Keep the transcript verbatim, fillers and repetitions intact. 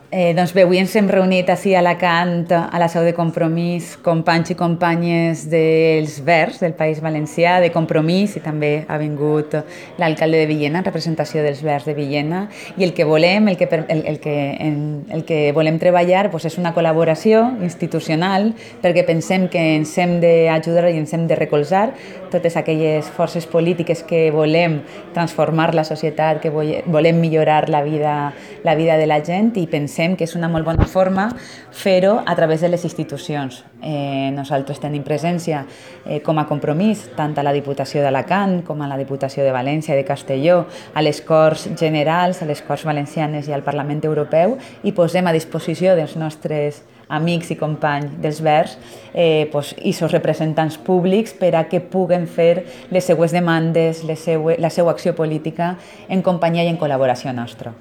Eh, doncs bé, avui ens hem reunit ací a Alacant, a la seu de Compromís, companys i companyes dels Verds del País Valencià, de Compromís, i també ha vingut l'alcalde de Villena, en representació dels Verds de Villena, i el que volem, el que, el, el que, en, el que volem treballar doncs és una col·laboració institucional, perquè pensem que ens hem d'ajudar i ens hem de recolzar totes aquelles forces polítiques que volem transformar la societat, que volem millorar la vida, la vida de la gent, i pensem que és una molt bona forma fer-ho a través de les institucions. Eh, nosaltres tenim presència eh, com a Compromís tant a la Diputació d'Alacant com a la Diputació de València i de Castelló, a les Corts Generals, a les Corts Valencianes i al Parlament Europeu, i posem a disposició dels nostres amics i companys dels Verds eh, pues, i els representants públics per a que puguen fer les seues demandes, les seue, la seva acció política en companyia i en col·laboració nostra.